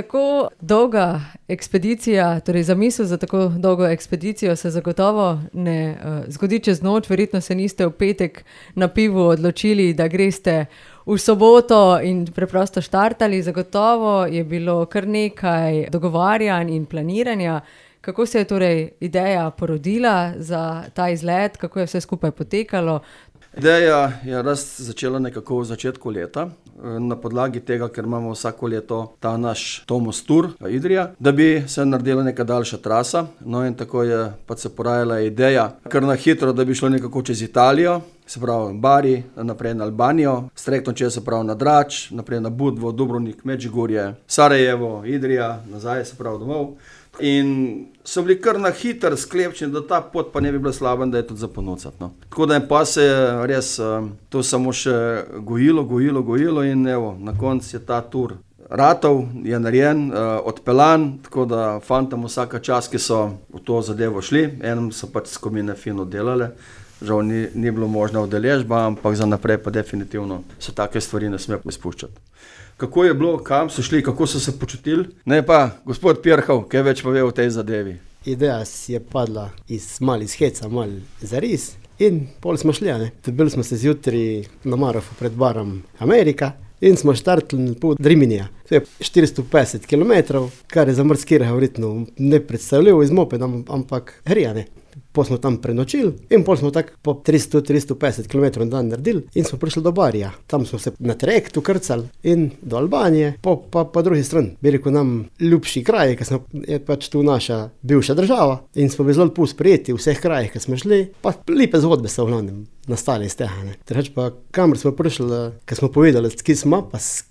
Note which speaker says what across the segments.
Speaker 1: Tako dolga ekspedicija, torej zamisel za tako dolgo ekspedicijo se zagotovo ne zgodi čez noč. Verjetno se niste v petek na pivu odločili, da greste v soboto in preprosto štartali. Zagotovo je bilo kar nekaj dogovarjanj in planiranja. Kako se je torej ideja porodila za ta izlet, kako je vse skupaj potekalo?
Speaker 2: Ideja je začela nekako v začetku leta, na podlagi tega, ker imamo vsako leto ta naš Tomos Tour Idrija, da bi se naredila neka daljša trasa. No in tako je pač se porajala ideja, kar na hitro, da bi šlo nekako čez Italijo, se pravi Bari, naprej na Albanijo, strektom čez se pravi na Drač, naprej na Budvo, Dubrovnik, Medžugorje, Sarajevo, Idrija, nazaj se pravi domov. In so bili kar na hiter sklepčeni, da ta pot pa ne bi bila slaba, da je tudi za ponucati. No. Tako da je pa se res to samo še gojilo in evo, na koncu je ta tur ratov, je narejen, odpeljan, tako da fantom vsaka čas, ki so v to zadevo šli, enem so pač skupine fino delale. Žal ni bilo možna udeležba, ampak za naprej pa definitivno se take stvari ne sme izpuščati. Kako je bilo, kam so šli, kako so se počutili? Ne pa, gospod Pirhov, kaj več pove o tej zadevi?
Speaker 3: Ideja si je padla iz heca, mal zaris in pol smo šli, ne. Bili smo se zjutraj na Marofu pred barom Amerika in smo štartili pod Riminija. To je 450 km, kar je za morskega verjetno nepredstavljivo iz mopedom, ampak hrija, ne. Pol smo tam prenočili in pol smo tako po 300-350 km na dan naredili in smo prišli do Barija. Tam smo se na trajektu krcali in do Albanije, po drugi strani. Bi rekel nam ljubši kraj, ker je pač tu naša bivša država in smo bili zelo lepo sprejeti v vseh krajih, ki smo šli, pa lepe zgodbe so v glavnem nastale iz tega. Treč pa kamor smo prišli, ker smo povedali, ki smo, pa s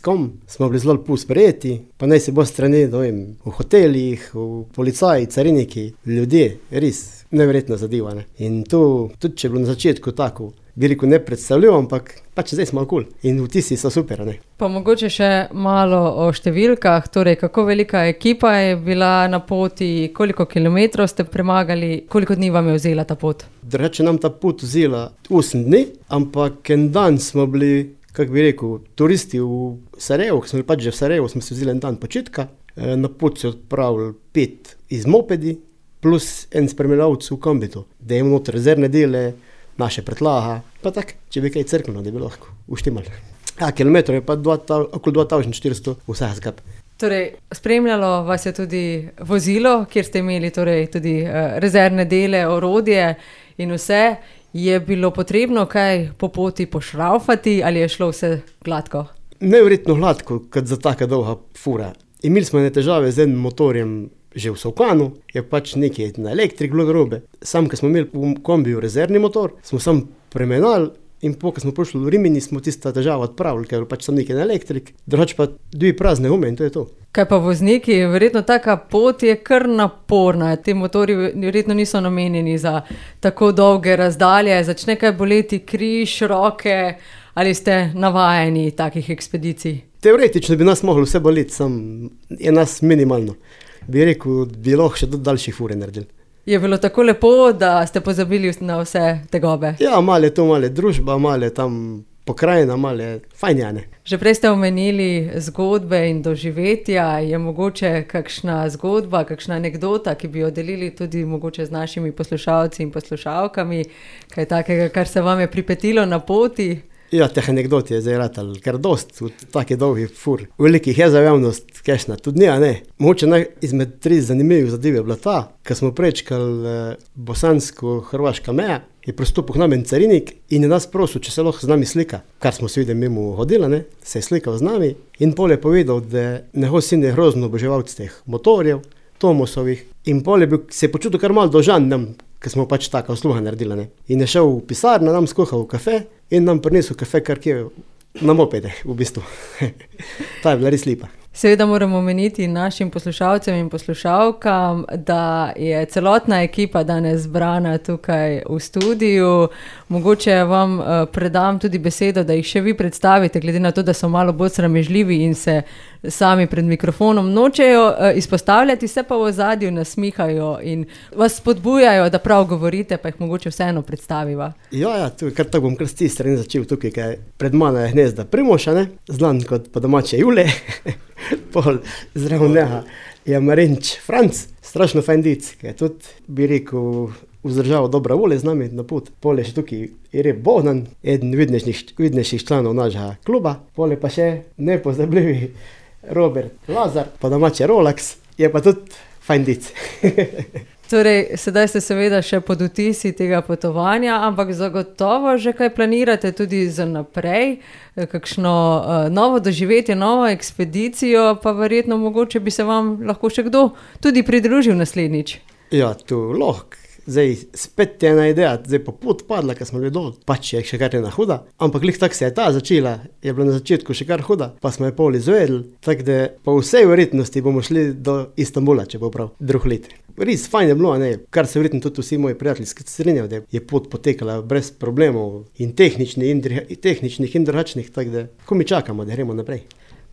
Speaker 3: kom, smo bili zelo lepo sprejeti, pa naj se bo strani, v hotelih, v policaji, cariniki, ljudje, res neverjetno zadeva. Ne? In to, tudi če je bilo na začetku tako, bi rekel nepredstavljivo, ampak pač zdaj smo cool in vtisi so super. Ne?
Speaker 1: Pa mogoče še malo o številkah, torej kako velika ekipa je bila na poti, koliko kilometrov ste premagali, koliko dni vam je vzela ta pot?
Speaker 3: Drugače nam ta pot vzela 8 dni, ampak en dan smo bili, kako bi rekel, turisti v Sarajevu, ki smo bili pač že v Sarajevu, smo si vzeli en dan počitka, na pot se odpravili 5 iz mopedi, plus en spremljalec v kombitu, da imamo noter rezervne dele, naše pretlaga, pa tak, če bi kaj crknilo, da bi lahko uštimali. Kilometrov je pa okoli 2400 vseh zgab.
Speaker 1: Torej, spremljalo vas je tudi vozilo, kjer ste imeli torej tudi rezervne dele, orodje in vse. Je bilo potrebno kaj po poti pošraufati ali je šlo vse gladko?
Speaker 3: Neverjetno gladko, kot za taka dolga fura. Imeli smo ne težave z enim motorjem, že v Sovkanu, je pač nekaj na elektrik bilo narobe. Sam, ko smo imeli v kombiju rezervni motor, smo sam premenali in ko smo prišli v Rimini, smo tista težava odpravili, ker je pač sam nekaj na elektrik, drugače pa 2 prazne gume in to je to.
Speaker 1: Kaj pa vozniki, verjetno taka pot je kar naporna, ti motori verjetno niso namenjeni za tako dolge razdalje, začne kaj boleti križ, roke, ali ste navajeni takih ekspedicij?
Speaker 3: Teoretično bi nas moglo vse boleti, sam je nas minimalno. Bi rekel, bi lahko še do daljših fure naredili.
Speaker 1: Je bilo tako lepo, da ste pozabili na vse tegobe?
Speaker 3: Ja, malo je to, malo je družba, malo je tam pokrajina, malo je fajn, ja, ne.
Speaker 1: Že prej ste omenili zgodbe in doživetja, je mogoče kakšna zgodba, kakšna anekdota, ki bi jo delili tudi mogoče z našimi poslušalci in poslušalkami, kaj takega, kar se vam je pripetilo na poti?
Speaker 3: Ja, teh anekdot je zdaj ratal, ker dost v taki dolgi fur. Velikih je za javnost, kešna, tudi ne. Mogoče izmed 3 zanimivih zadev je bila ta, ko smo prečkali bosansko-hrvaška meja, je pristopil k nam en carinik in je nas prosil, če se lahko z nami slika. Kar smo se videli mimo hodila, ne, se je slikal z nami in pol je povedal, da njegov sin je grozno oboževalec teh motorjev, Tomosovih in pol se je počutil kar malo dolžan nam, ker smo pač taka usluga naredila, ne. In je šel v pisarno, nam skuhal v kafe in nam prinesel kafe, kar je na mopede, v bistvu. Ta je bila res lepa.
Speaker 1: Seveda moramo omeniti našim poslušalcem in poslušalkam, da je celotna ekipa danes zbrana tukaj v studiu. Mogoče vam predam tudi besedo, da jih še vi predstavite, glede na to, da so malo bolj sramežljivi in se sami pred mikrofonom, nočejo izpostavljati, se pa v ozadju nasmihajo in vas spodbujajo, da prav govorite, pa jih mogoče vseeno predstaviva.
Speaker 3: Ja, kar tako bom kar s te strani začel tukaj, kaj pred mano je Gnezda Primoša, ne? Znan kot po domače Jule, pol zraven njega je Marinč Franc, strašno fajn dic, ki je tudi, bi rekel, vzdržal dobra volje z nami na put. Pol je še tukaj Irep Bogdan, eden vidnejših članov našega kluba, pol je pa še nepozabljivi Robert Lazar, po domače Rolex, je pa tudi fajn dic.
Speaker 1: Torej, sedaj ste seveda še pod vtisi tega potovanja, ampak zagotovo že kaj planirate tudi za naprej, kakšno novo doživetje, novo ekspedicijo, pa verjetno mogoče bi se vam lahko še kdo tudi pridružil naslednjič.
Speaker 3: Ja, tu lahko. Zdaj, spet je ena ideja, zdaj po pot padla, ker smo bili dol, pač je še kar ena huda, ampak lih tako se je ta začela, je bila na začetku še kar huda, pa smo je pol izvedeli, tako da po vsej verjetnosti bomo šli do Istanbula, če bo prav drug let. Res fajn je bilo, ne, kar se verjetno tudi vsi moji prijateljski strinjajo, da je pot potekala brez problemov in tehničnih in drugačnih, tako da ko mi čakamo, da gremo naprej.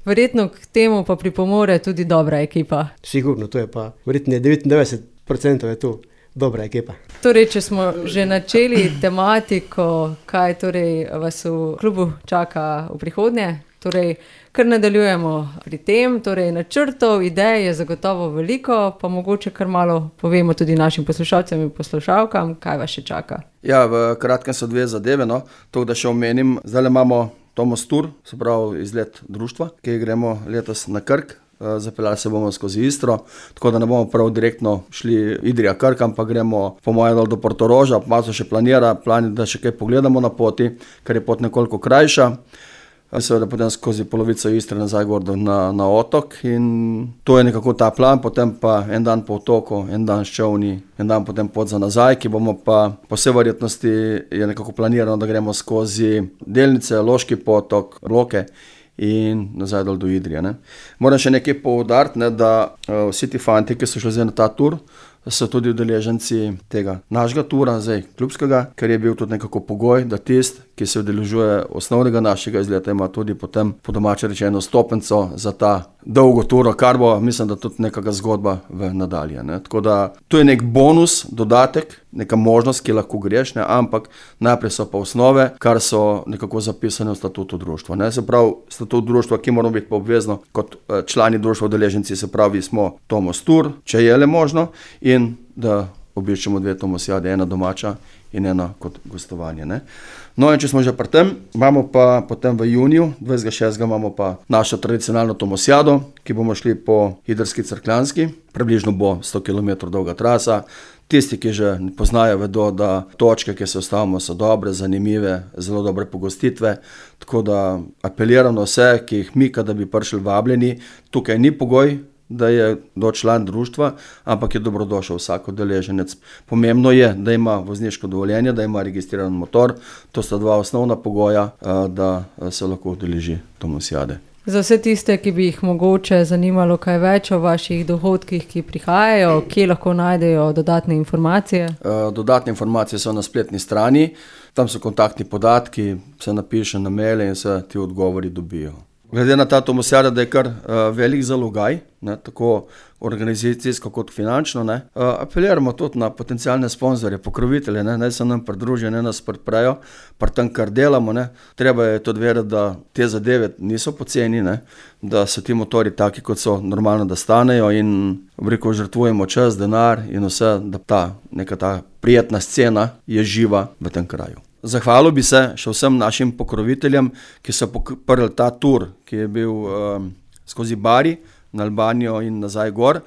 Speaker 1: Verjetno k temu pa pripomore tudi dobra ekipa.
Speaker 3: Sigurno, to je pa, verjetno 99% je tu dobra ekipa.
Speaker 1: Torej, če smo že načeli tematiko, kaj torej vas v klubu čaka v prihodnje, torej kar nadaljujemo pri tem, torej načrtov, idej je zagotovo veliko, pa mogoče kar malo povemo tudi našim poslušalcem in poslušalkam, kaj vas še čaka.
Speaker 2: Ja, v kratkem so dve zadeve, no. To, da še omenim, zdaj imamo Tomos Tour, se pravi izlet društva, ki gremo letos na Krk. Zapeljali se bomo skozi Istro, tako da ne bomo prav direktno šli Idrija-Krk, ampak gremo po mojem dol do Portoroža, malo še plan, da še kaj pogledamo na poti, ker je pot nekoliko krajša. Seveda potem skozi polovico Istre nazaj gor na otok in to je nekako ta plan, potem pa en dan po otoku, en dan s čolni, en dan potem pot za nazaj, ki bomo pa po vsej verjetnosti je nekako planirano, da gremo skozi Delnice, Loški potok, Loke in nazaj dol do Idrije. Ne. Moram še nekaj poudariti, da vsi ti fanti, ki so šli zdaj na ta tur, so tudi udeleženci tega našega tura, zdaj klubskega, ker je bil tudi nekako pogoj, da tist, ki se udeležuje osnovnega našega izleta, ima tudi potem po domače rečeno stopenco za ta dolgo turo, kar bo, mislim, da tudi nekaka zgodba v nadalje. Ne. Tako da to je nek bonus, dodatek, neka možnost, ki lahko greš, ne, ampak najprej so pa osnove, kar so nekako zapisane v statutu društva. Ne. Se pravi, statut društva, ki moramo biti pa obvezno kot člani društva udeleženci, se pravi, smo Tomos Tour, če je le možno, in da obiščemo dve tomosijade, ena domača in ena kot gostovanje. Ne. No in če smo že pri tem, imamo pa potem v juniju, 26. imamo pa našo tradicionalno tomosijado, ki bomo šli po Idrski Cerkljanski, približno bo 100 km dolga trasa. Tisti, ki že poznajo, vedo, da točke, ki se ustavimo, so dobre, zanimive, zelo dobre pogostitve, tako da apeliram na vse, ki jih mi, da bi prišli vabljeni, tukaj ni pogoj, da je do član društva, ampak je dobrodošel vsak udeleženec. Pomembno je, da ima vozniško dovoljenje, da ima registriran motor, to sta dva osnovna pogoja, da se lahko udeleži tomosijade.
Speaker 1: Za vse tiste, ki bi jih mogoče zanimalo kaj več o vaših dohodkih, ki prihajajo, kje lahko najdejo dodatne informacije?
Speaker 2: Dodatne informacije so na spletni strani, tam so kontaktni podatki, se napiše na maile in se ti odgovori dobijo. Glede na ta tomosijada, da je kar velik zalogaj, ne, tako organizacijsko kot finančno, ne, apeliramo tudi na potencialne sponzorje, pokrovitelje, naj se nam pridružijo, ne nas podprejo, pri tem, kar delamo. Ne. Treba je tudi vedeti, da te zadeve niso poceni, ne, da so ti motori taki, kot so normalno, da stanejo in veliko žrtvujemo čas, denar in vse, da neka ta prijetna scena je živa v tem kraju. Zahvalil bi se še vsem našim pokroviteljem, ki so podprli ta tur, ki je bil skozi Bari, na Albanijo in nazaj gor.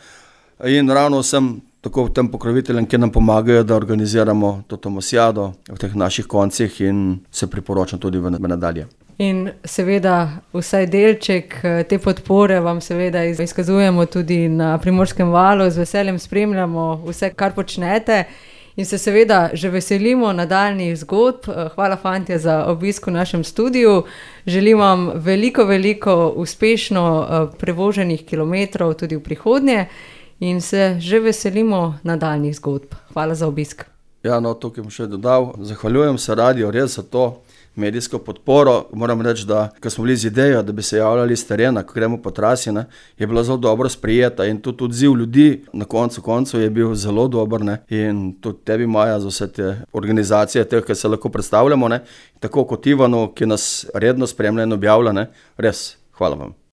Speaker 2: In ravno vsem tako tem pokroviteljem, ki nam pomagajo, da organiziramo to tomosijado v teh naših koncih in se priporočam tudi v nadalje.
Speaker 1: In seveda vsaj delček te podpore vam seveda izkazujemo tudi na Primorskem valu, z veseljem spremljamo vse, kar počnete. In se seveda že veselimo nadaljnjih zgodb. Hvala, fantje, za obisk v našem studiu. Želim vam veliko uspešno prevoženih kilometrov tudi v prihodnje in se že veselimo nadaljnjih zgodb. Hvala za obisk.
Speaker 2: Ja, no, tukaj bom še dodal. Zahvaljujem se radiu res za to. medijsko podporo. Moram reči, da ko smo bili z idejo, da bi se javljali iz terena, ko gremo po trasi, ne, je bila zelo dobro sprijeta in tudi odziv ljudi na koncu je bil zelo dober, ne, in tudi tebi, Maja, za vse te organizacije, teh, ki se lahko predstavljamo, ne, tako kot Ivanu, ki nas redno spremlja in objavlja, ne, res, hvala vam.